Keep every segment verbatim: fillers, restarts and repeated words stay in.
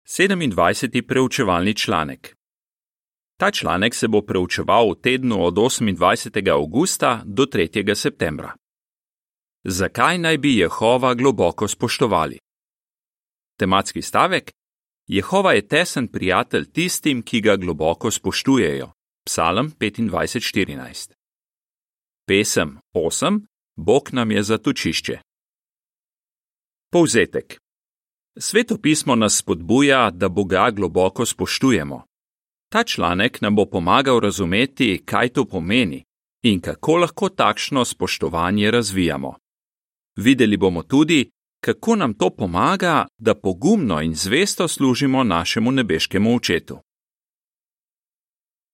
sedemindvajseti preučevalni članek. Ta članek se bo preučeval v tednu od osemindvajsetega avgusta do tretjega septembra. Zakaj naj bi Jehova globoko spoštovali? Tematski stavek: Jehova je tesen prijatelj tistim, ki ga globoko spoštujejo. Psalm petindvajset štirinajst. Pesem osem. Bog nam je zatočišče. Povzetek. Sveto pismo nas spodbuja, da Boga globoko spoštujemo. Ta članek nam bo pomagal razumeti, kaj to pomeni in kako lahko takšno spoštovanje razvijamo. Videli bomo tudi, kako nam to pomaga, da pogumno in zvesto služimo našemu nebeškemu očetu.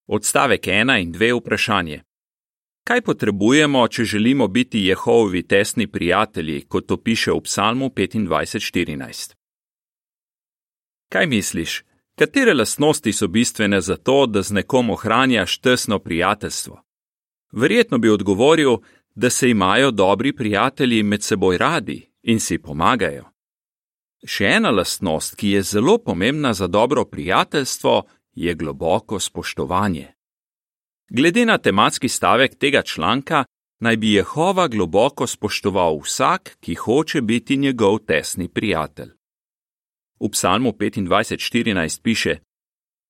Odstavek ena in dve vprašanje. Kaj potrebujemo, če želimo biti Jehovovi tesni prijatelji, kot to piše v Psalmu petindvajset štirinajst? Kaj misliš, katere lastnosti so bistvene za to, da z nekom ohranjaš tesno prijateljstvo? Verjetno bi odgovoril, da se imajo dobri prijatelji med seboj radi in si pomagajo. Še ena lastnost, ki je zelo pomembna za dobro prijateljstvo, je globoko spoštovanje. Glede na tematski stavek tega članka, naj bi Jehova globoko spoštoval vsak, ki hoče biti njegov tesni prijatelj. V Psalmu petindvajset štirinajst piše: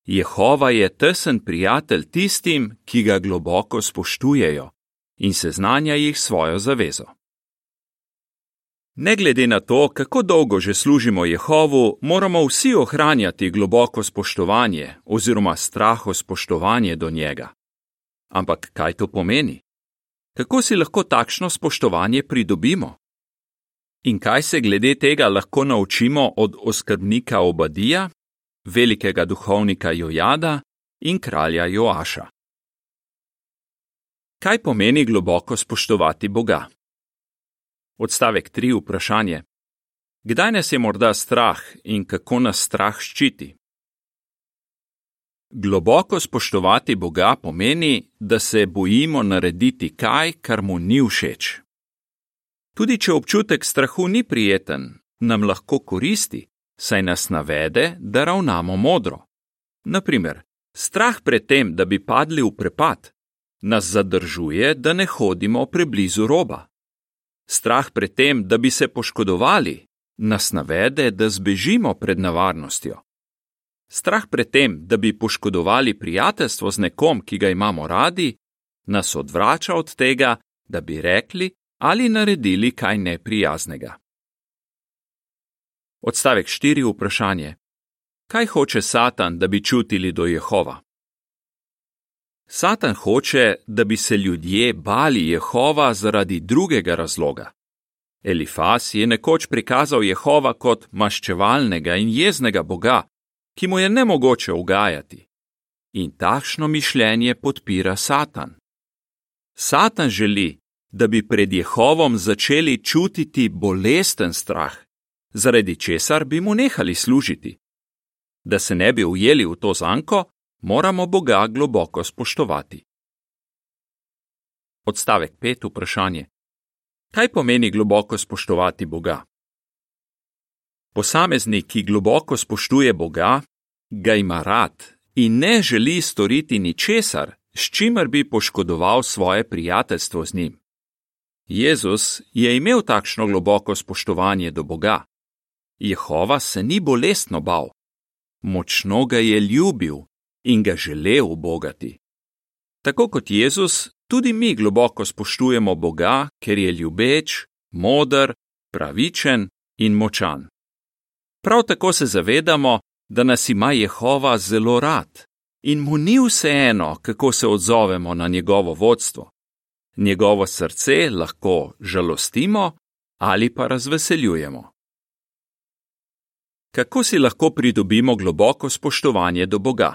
Jehova je tesen prijatelj tistim, ki ga globoko spoštujejo in seznanja jih svojo zavezo. Ne glede na to, kako dolgo že služimo Jehovu, moramo vsi ohranjati globoko spoštovanje oziroma strahospoštovanje do njega. Ampak kaj to pomeni? Kako si lahko takšno spoštovanje pridobimo? In kaj se glede tega lahko naučimo od oskrbnika Obadija, velikega duhovnika Jojada in kralja Joaša? Kaj pomeni globoko spoštovati Boga? Odstavek tri vprašanje. Kdaj nas je morda strah in kako nas strah ščiti? Globoko spoštovati Boga pomeni, da se bojimo narediti kaj, kar mu ni všeč. Tudi če občutek strahu ni prijeten, nam lahko koristi, saj nas navede, da ravnamo modro. Naprimer, strah pred tem, da bi padli v prepad, nas zadržuje, da ne hodimo preblizu roba. Strah pred tem, da bi se poškodovali, nas navede, da zbežimo pred nevarnostjo. Strah pred tem, da bi poškodovali prijateljstvo z nekom, ki ga imamo radi, nas odvrača od tega, da bi rekli ali naredili kaj neprijaznega. Odstavek štiri vprašanje. Kaj hoče Satan, da bi čutili do Jehova? Satan hoče, da bi se ljudje bali Jehova zaradi drugega razloga. Elifas je nekoč prikazal Jehova kot maščevalnega in jeznega Boga, ki mu je nemogoče ugajati. In takšno mišljenje podpira Satan. Satan želi, da bi pred Jehovom začeli čutiti bolesten strah, zaradi česar bi mu nehali služiti. Da se ne bi ujeli v to zanko, moramo Boga globoko spoštovati. Odstavek pet vprašanje. Kaj pomeni globoko spoštovati Boga? Posameznik, ki globoko spoštuje Boga, ga ima rad in ne želi storiti ničesar, s čimer bi poškodoval svoje prijateljstvo z njim. Jezus je imel takšno globoko spoštovanje do Boga. Jehova se ni bolestno bal. Močno ga je ljubil in ga želel ubogati. Tako kot Jezus, tudi mi globoko spoštujemo Boga, ker je ljubeč, moder, pravičen in močan. Prav tako se zavedamo, da nas ima Jehova zelo rad in mu ni vseeno, kako se odzovemo na njegovo vodstvo. Njegovo srce lahko žalostimo ali pa razveseljujemo. Kako si lahko pridobimo globoko spoštovanje do Boga?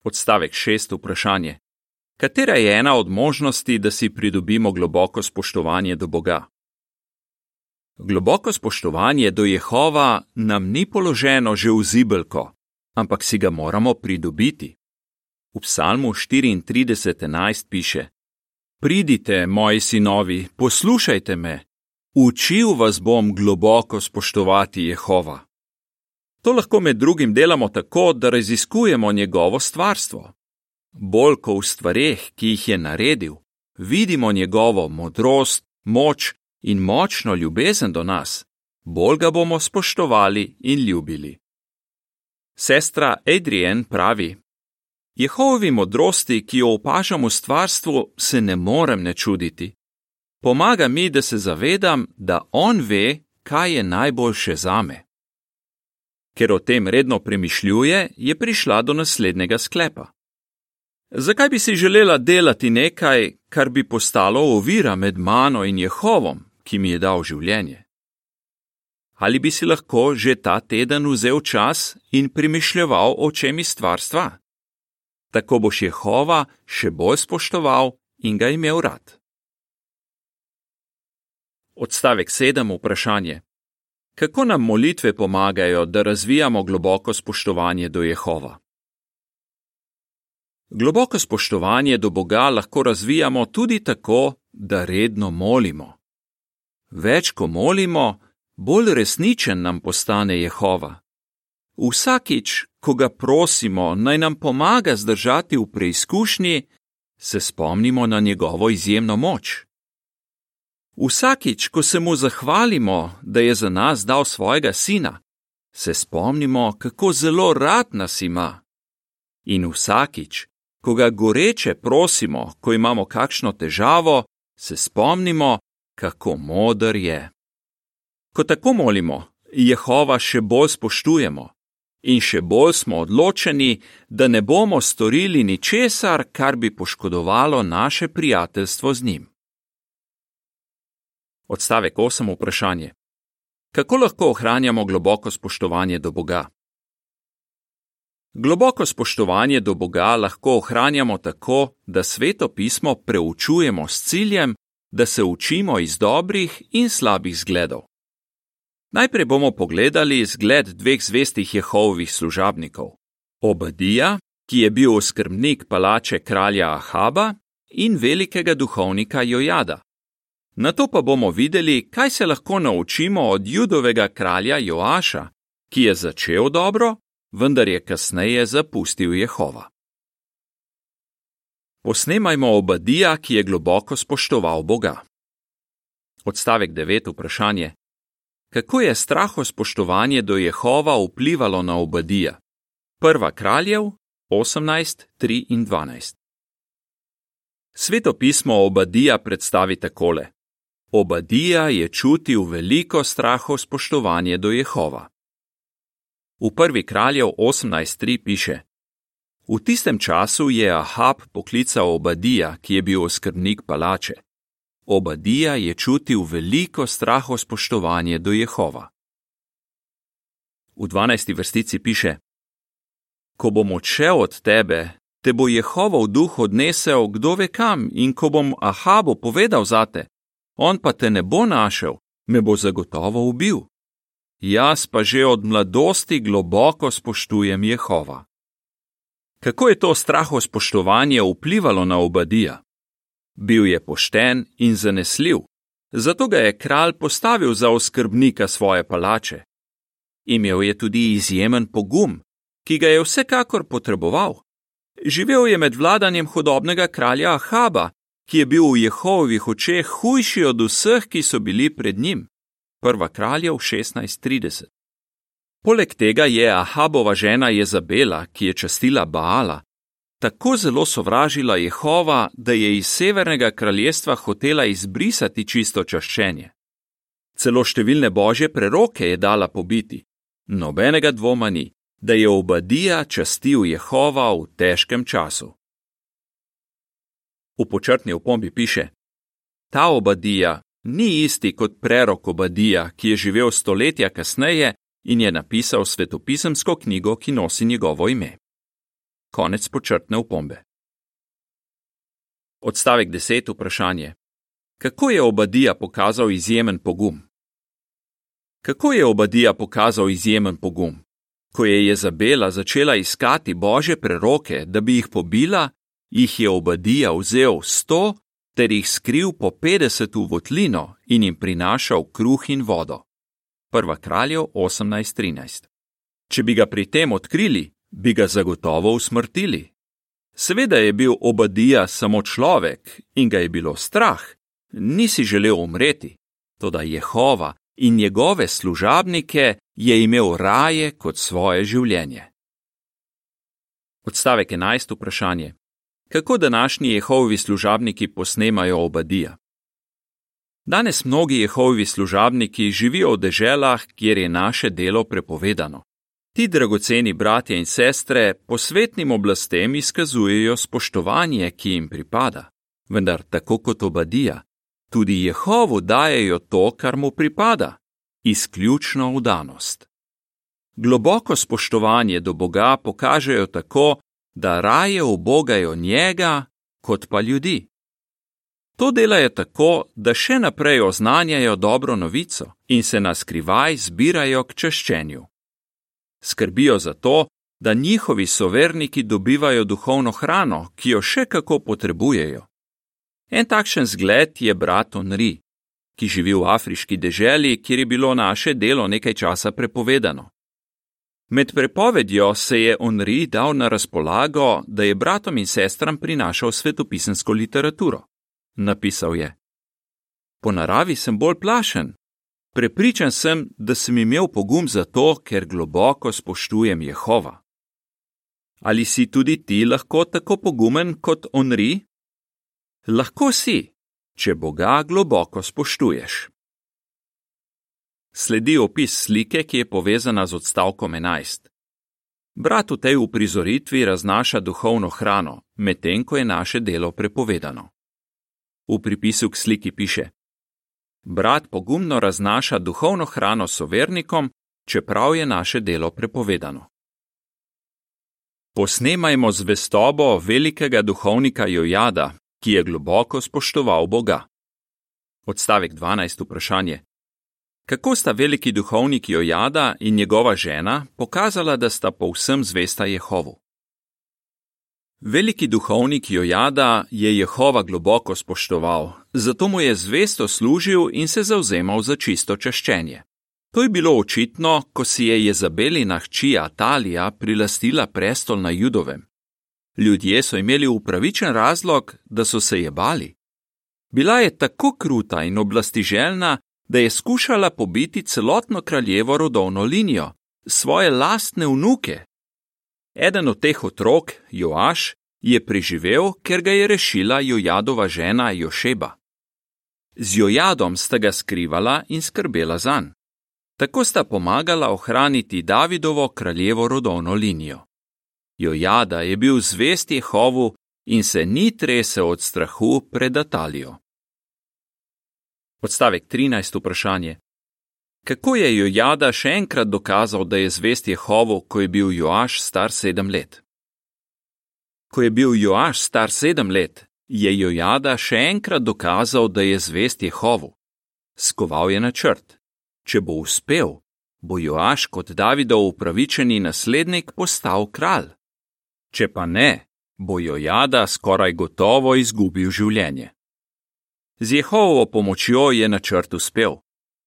Odstavek šest vprašanje. Katera je ena od možnosti, da si pridobimo globoko spoštovanje do Boga? Globoko spoštovanje do Jehova nam ni položeno že v zibelko, ampak si ga moramo pridobiti. V Psalmu štiriintrideset enajst piše: Pridite, moji sinovi, poslušajte me, učil vas bom globoko spoštovati Jehova. To lahko med drugim delamo tako, da raziskujemo njegovo stvarstvo. Bolj ko v stvareh, ki jih je naredil, vidimo njegovo modrost, moč in močno ljubezen do nas, bolj ga bomo spoštovali in ljubili. Sestra Adrienne pravi: Jehovovi modrosti, ki jo opažam v stvarstvu, se ne morem ne čuditi. Pomaga mi, da se zavedam, da on ve, kaj je najboljše zame. Ker o tem redno premišljuje, je prišla do naslednjega sklepa. Zakaj bi si želela delati nekaj, kar bi postalo ovira med mano in Jehovom, ki mi je dal življenje? Ali bi si lahko že ta teden vzel čas in premišljeval o čem iz stvarstva? Tako boš Jehova še bolj spoštoval in ga imel rad. Odstavek sedem, vprašanje. Kako nam molitve pomagajo, da razvijamo globoko spoštovanje do Jehova? Globoko spoštovanje do Boga lahko razvijamo tudi tako, da redno molimo. Več ko molimo, bolj resničen nam postane Jehova. Vsakič, ko ga prosimo, naj nam pomaga zdržati v preizkušnji, se spomnimo na njegovo izjemno moč. Vsakič, ko se mu zahvalimo, da je za nas dal svojega sina, se spomnimo, kako zelo rad nas ima. In vsakič, ko ga goreče prosimo, ko imamo kakšno težavo, se spomnimo, kako moder je. Ko tako molimo, Jehova še bolj spoštujemo in še bolj smo odločeni, da ne bomo storili ničesar, kar bi poškodovalo naše prijateljstvo z njim. Odstavek osem, vprašanje. Kako lahko ohranjamo globoko spoštovanje do Boga? Globoko spoštovanje do Boga lahko ohranjamo tako, da Sveto pismo preučujemo s ciljem, da se učimo iz dobrih in slabih zgledov. Najprej bomo pogledali zgled dveh zvestih Jehovovih služabnikov. Obadija, ki je bil oskrbnik palače kralja Ahaba, in velikega duhovnika Jojada. Nato pa bomo videli, kaj se lahko naučimo od Judovega kralja Joaša, ki je začel dobro, vendar je kasneje zapustil Jehova. Posnemajmo Obadija, ki je globoko spoštoval Boga. Odstavek devet, vprašanje. Kako je strahospoštovanje do Jehova vplivalo na Obadija? Prva kraljev, osemnajst, tri in dvanajst. Sveto pismo Obadija predstavi takole. Obadija je čutil veliko strahospoštovanje do Jehova. V prvi kraljev osemnajst tri piše: V tistem času je Ahab poklical Obadija, ki je bil oskrbnik palače. Obadija je čutil veliko strahospoštovanje do Jehova. V dvanajsti vrstici piše: Ko bom odšel od tebe, te bo Jehovov duh odnesel kdo ve kam, in ko bom Ahabu povedal zate, on pa te ne bo našel, me bo zagotovo ubil. Jaz pa že od mladosti globoko spoštujem Jehova. Kako je to strahospoštovanje vplivalo na Obadija? Bil je pošten in zanesljiv, zato ga je kralj postavil za oskrbnika svoje palače. Imel je tudi izjemen pogum, ki ga je vsekakor potreboval. Živel je med vladanjem hudobnega kralja Ahaba, ki je bil v Jehovovih očeh hujši od vseh, ki so bili pred njim. Prva kraljev šestnajst trideset. Poleg tega je Ahabova žena Jezabela, ki je častila Baala, tako zelo sovražila Jehova, da je iz severnega kraljestva hotela izbrisati čisto čaščenje. Celo številne božje preroke je dala pobiti. Nobenega dvoma ni, da je Obadija častil Jehova v težkem času. V počrtni opombi piše: Ta Obadija ni isti kot prerok Obadija, ki je živel stoletja kasneje in je napisal svetopisemsko knjigo, ki nosi njegovo ime. Konec počrtne opombe. Odstavek deset, vprašanje. Kako je Obadija pokazal izjemen pogum? Kako je Obadija pokazal izjemen pogum? Ko je Jezabela začela iskati božje preroke, da bi jih pobila, jih je Obadija vzel sto ter jih skril po petdeset v votlino in jim prinašal kruh in vodo. Prva kraljev osemnajst trinajst. Če bi ga pri tem odkrili, bi ga zagotovo usmrtili. Seveda je bil Obadija samo človek in ga je bilo strah, ni si želel umreti, toda Jehova in njegove služabnike je imel raje kot svoje življenje. Odstavek enajst vprašanje. Kako današnji Jehovovi služabniki posnemajo Obadija? Danes mnogi Jehovovi služabniki živijo v deželah, kjer je naše delo prepovedano. Ti dragoceni bratje in sestre posvetnim oblastem izkazujejo spoštovanje, ki jim pripada, vendar tako kot Obadija, tudi Jehovu dajejo to, kar mu pripada, izključno vdanost. Globoko spoštovanje do Boga pokažejo tako, da raje ubogajo njega, kot pa ljudi. To delajo tako, da še naprej oznanjajo dobro novico in se na skrivaj zbirajo k čaščenju. Skrbijo za to, da njihovi soverniki dobivajo duhovno hrano, ki jo še kako potrebujejo. En takšen zgled je brat Onri, ki živi v afriški deželi, kjer je bilo naše delo nekaj časa prepovedano. Med prepovedjo se je Onri dal na razpolago, da je bratom in sestram prinašal svetopisemsko literaturo. Napisal je: Po naravi sem bolj plašen. Prepričan sem, da sem imel pogum zato, ker globoko spoštujem Jehova. Ali si tudi ti lahko tako pogumen kot Onri? Lahko si, če Boga globoko spoštuješ. Sledi opis slike, ki je povezana z odstavkom enajst. Brat v tej uprizoritvi raznaša duhovno hrano, medtem ko je naše delo prepovedano. V pripisu k sliki piše: Brat pogumno raznaša duhovno hrano sovernikom, čeprav je naše delo prepovedano. Posnemajmo zvestobo velikega duhovnika Jojada, ki je globoko spoštoval Boga. Odstavek dvanajst vprašanje. Kako sta veliki duhovnik Jojada in njegova žena pokazala, da sta povsem zvesta Jehovu? Veliki duhovnik Jojada je Jehova globoko spoštoval, zato mu je zvesto služil in se zavzemal za čisto čaščenje. To je bilo očitno, ko si je Jezabelina hči Atalija prilastila prestol na Judovem. Ljudje so imeli upravičen razlog, da so se je bali. Bila je tako kruta in oblastiželjna, da je skušala pobiti celotno kraljevo rodovno linijo, svoje lastne vnuke. Eden od teh otrok, Joaš, je preživel, ker ga je rešila Jojadova žena Jošeba. Z Jojadom sta ga skrivala in skrbela zanj. Tako sta pomagala ohraniti Davidovo kraljevo rodovno linijo. Jojada je bil zvest Jehovu in se ni tresel od strahu pred Atalijo. Odstavek trinajst vprašanje. Kako je Jojada še enkrat dokazal, da je zvest Jehovu, ko je bil Joaš star sedem let? Ko je bil Joaš star sedem let, je Jojada še enkrat dokazal, da je zvest Jehovu. Skoval je načrt. Če bo uspel, bo Joaš kot Davidov upravičeni naslednik postal kralj. Če pa ne, bo Jojada skoraj gotovo izgubil življenje. Z Jehovovo pomočjo je načrt uspel.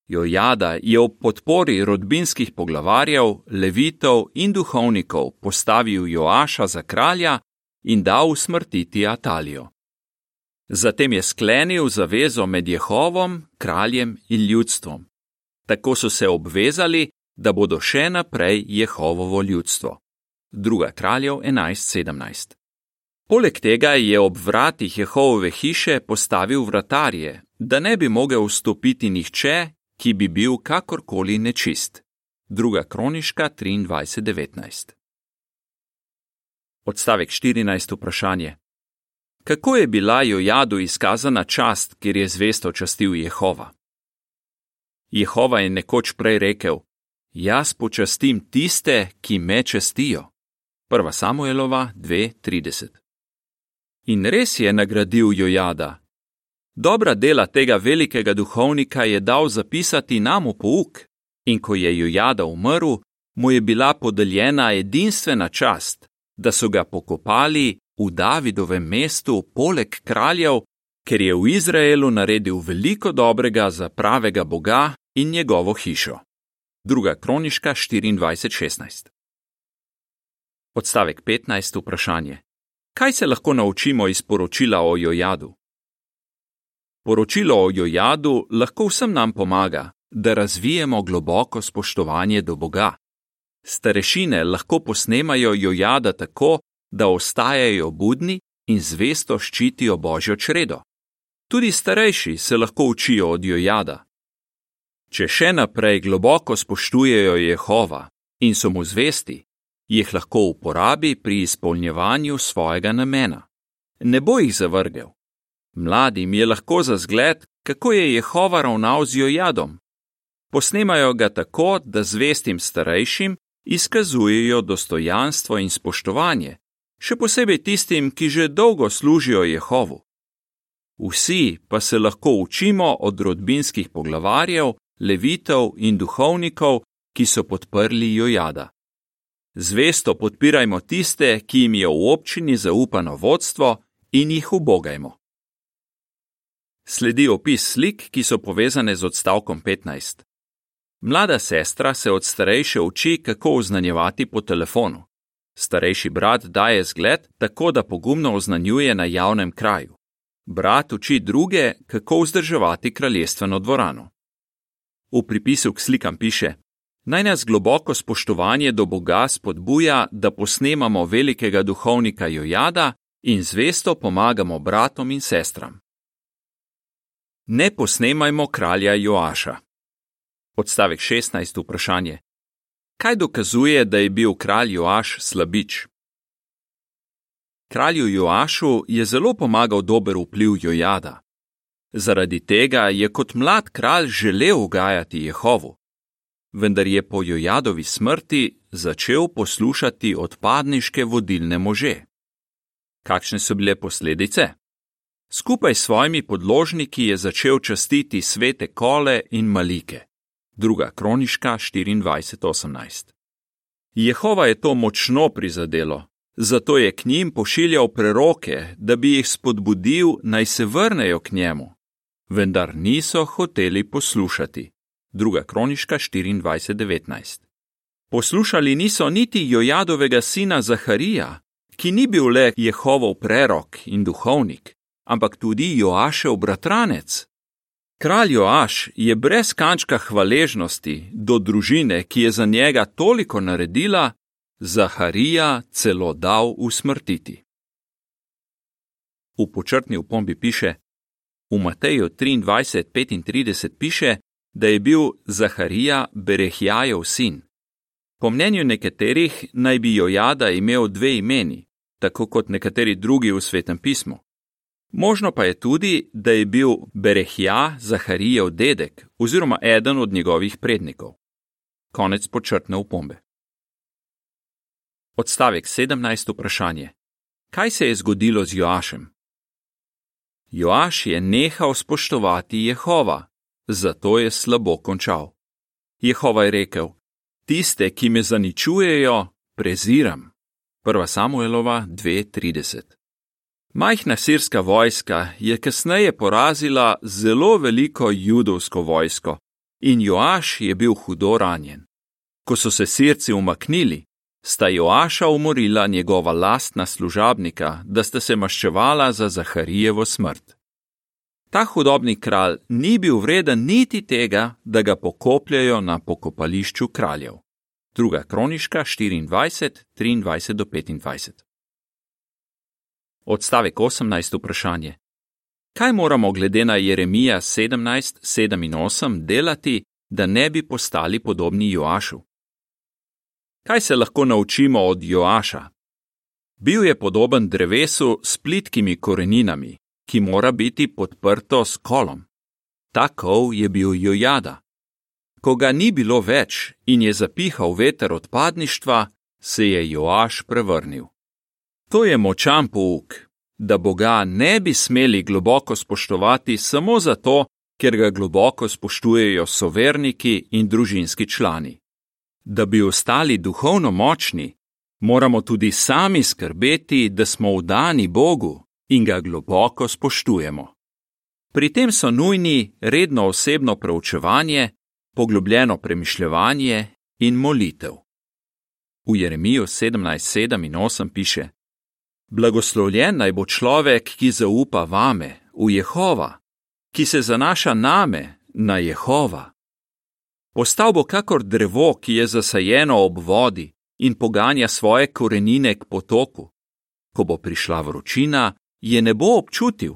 Jojada je ob podpori rodbinskih poglavarjev, levitov in duhovnikov postavil Joaša za kralja in dal usmrtiti Atalijo. Zatem je sklenil zavezo med Jehovom, kraljem in ljudstvom. Tako so se obvezali, da bodo še naprej Jehovovo ljudstvo. Druga kraljev enajst sedemnajst. Poleg tega je ob vratih Jehovove hiše postavil vratarje, da ne bi mogel vstopiti nihče, ki bi bil kakorkoli nečist. Druga kroniška triindvajset devetnajst. Odstavek štirinajst vprašanje. Kako je bila Jojadu izkazana čast, ker je zvesto častil Jehova? Jehova je nekoč prej rekel: Jaz počastim tiste, ki me častijo. Prva Samuelova dve trideset. In res je nagradil Jojada. Dobra dela tega velikega duhovnika je dal zapisati nam v pouk, in ko je Jojada umrl, mu je bila podeljena edinstvena čast, da so ga pokopali v Davidovem mestu poleg kraljev, ker je v Izraelu naredil veliko dobrega za pravega Boga in njegovo hišo. Druga kroniška štiriindvajset šestnajst. Odstavek petnajst. Vprašanje. Kaj se lahko naučimo iz poročila o Jojadu? Poročilo o Jojadu lahko vsem nam pomaga, da razvijemo globoko spoštovanje do Boga. Starešine lahko posnemajo Jojada tako, da ostajajo budni in zvesto ščitijo Božjo čredo. Tudi starejši se lahko učijo od Jojada. Če še naprej globoko spoštujejo Jehova in so mu zvesti, jih lahko uporabi pri izpolnjevanju svojega namena. Ne bo jih zavrgel. Mladim je lahko za zgled, kako je Jehova ravnal z Jojadom. Posnemajo ga tako, da zvestim starejšim izkazujejo dostojanstvo in spoštovanje, še posebej tistim, ki že dolgo služijo Jehovu. Vsi pa se lahko učimo od rodbinskih poglavarjev, levitov in duhovnikov, ki so podprli Jojada. Zvesto podpirajmo tiste, ki jim je v občini zaupano vodstvo, in jih ubogajmo. Sledi opis slik, ki so povezane z odstavkom petnajst. Mlada sestra se od starejše uči, kako oznanjevati po telefonu. Starejši brat daje zgled, tako da pogumno oznanjuje na javnem kraju. Brat uči druge, kako vzdrževati kraljestveno dvorano. V pripisu k slikam piše: Naj nas globoko spoštovanje do Boga spodbuja, da posnemamo velikega duhovnika Jojada in zvesto pomagamo bratom in sestram. Ne posnemajmo kralja Joaša. Odstavek šestnajst. Vprašanje. Kaj dokazuje, da je bil kralj Joaš slabič? Kralju Joašu je zelo pomagal dober vpliv Jojada. Zaradi tega je kot mlad kralj želel ugajati Jehovu. Vendar je po Jojadovi smrti začel poslušati odpadniške vodilne može. Kakšne so bile posledice? Skupaj s svojimi podložniki je začel častiti svete kole in malike. Druga kroniška štiriindvajset osemnajst. Jehova je to močno prizadelo, zato je k njim pošiljal preroke, da bi jih spodbudil, naj se vrnejo k njemu. Vendar niso hoteli poslušati. Druga kroniška štiriindvajset devetnajst. Poslušali niso niti Jojadovega sina Zaharija, ki ni bil le Jehovov prerok in duhovnik, ampak tudi Joašev bratranec. Kralj Joaš je brez kančka hvaležnosti do družine, ki je za njega toliko naredila, Zaharija celo dal usmrtiti. V počrtni opombi piše: V Mateju triindvajset petintrideset piše, da je bil Zaharija Berehjajev sin. Po mnenju nekaterih naj bi Jojada imel dve imeni, tako kot nekateri drugi v Svetem pismu. Možno pa je tudi, da je bil Berehja Zaharijev dedek oziroma eden od njegovih prednikov. Konec počrtne opombe. Odstavek sedemnajst. Vprašanje. Kaj se je zgodilo z Joašem? Joaš je nehal spoštovati Jehova, zato je slabo končal. Jehova je rekel: Tiste, ki me zaničujejo, preziram. Prva Samuelova dve trideset. Majhna sirska vojska je kasneje porazila zelo veliko judovsko vojsko in Joaš je bil hudo ranjen. Ko so se Sirci umaknili, sta Joaša umorila njegova lastna služabnika, da sta se maščevala za Zaharijevo smrt. Ta hudobni kralj ni bil vreden niti tega, da ga pokopljajo na pokopališču kraljev. Druga kroniška štiriindvajset triindvajset do petindvajset. Odstavek osemnajst. Vprašanje. Kaj moramo glede na Jeremija sedemnajst sedem in osem delati, da ne bi postali podobni Joašu? Kaj se lahko naučimo od Joaša? Bil je podoben drevesu s plitkimi koreninami, ki mora biti podprto s kolom. Ta kol je bil Jojada. Ko ga ni bilo več in je zapihal veter odpadništva, se je Joaš prevrnil. To je močan pouk, da Boga ne bi smeli globoko spoštovati samo zato, ker ga globoko spoštujejo soverniki in družinski člani. Da bi ostali duhovno močni, moramo tudi sami skrbeti, da smo vdani Bogu in ga globoko spoštujemo. Pri tem so nujni redno osebno preučevanje, poglobljeno premišljevanje in molitev. V Jeremiju sedemnajst sedem in osem piše: Blagoslovljen naj bo človek, ki zaupa vame, v Jehova, ki se zanaša name, na Jehova. Postal bo kakor drevo, ki je zasajeno ob vodi in poganja svoje korenine k potoku. Ko bo prišla vročina, je ne bo občutil,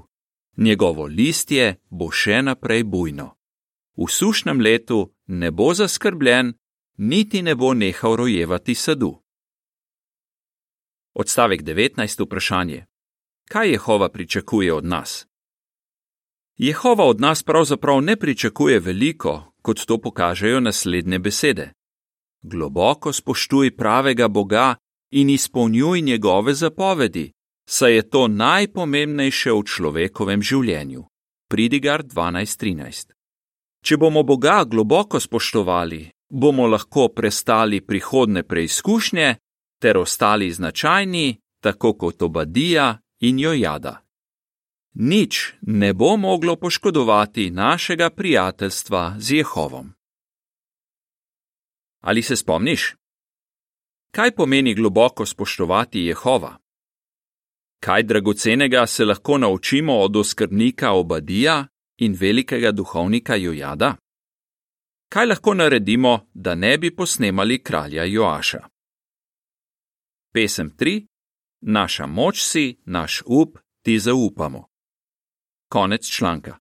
njegovo listje bo še naprej bujno. V sušnem letu ne bo zaskrbljen, niti ne bo nehal rojevati sadu. Odstavek devetnajst vprašanje. Kaj Jehova pričakuje od nas? Jehova od nas pravzaprav ne pričakuje veliko, kot to pokažejo naslednje besede. Globoko spoštuj pravega Boga in izpolnjuj njegove zapovedi, saj je to najpomembnejše v človekovem življenju. Pridigar dvanajst trinajst. Če bomo Boga globoko spoštovali, bomo lahko prestali prihodne preizkušnje ter ostali značajni, tako kot Obadija in Jojada. Nič ne bo moglo poškodovati našega prijateljstva z Jehovom. Ali se spomniš? Kaj pomeni globoko spoštovati Jehova? Kaj dragocenega se lahko naučimo od oskrbnika Obadija in velikega duhovnika Jojada? Kaj lahko naredimo, da ne bi posnemali kralja Joaša? Pesem tri. Naša moč si, naš up, ti zaupamo. Konec članka.